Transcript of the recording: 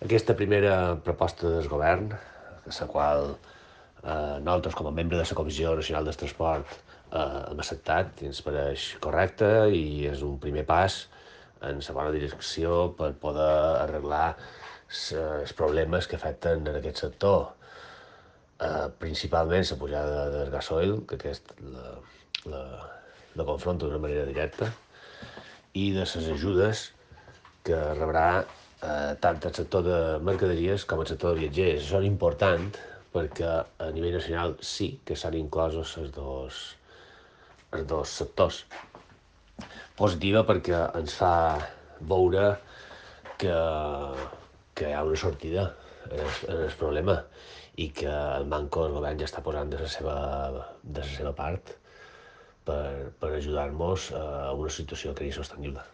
Aquesta primera proposta del govern, la qual nosaltres, com a membre de la Comissió Nacional del Transport, hem acceptat i ens pareix correcta i és un primer pas en la bona direcció per poder arreglar els problemes que afecten en aquest sector. Principalment la pujada del gasoil, que aquest la confronta d'una manera directa, i de les ajudes que rebrà tant el sector de mercaderies com el sector de viatgers. Això és important perquè a nivell nacional sí que s'han inclosos els dos sectors. Positiva perquè ens fa veure que, que hi ha una sortida en el problema i que el Banco del Govern ja està posant de la seva part per ajudar-nos a una situació que és sostenible.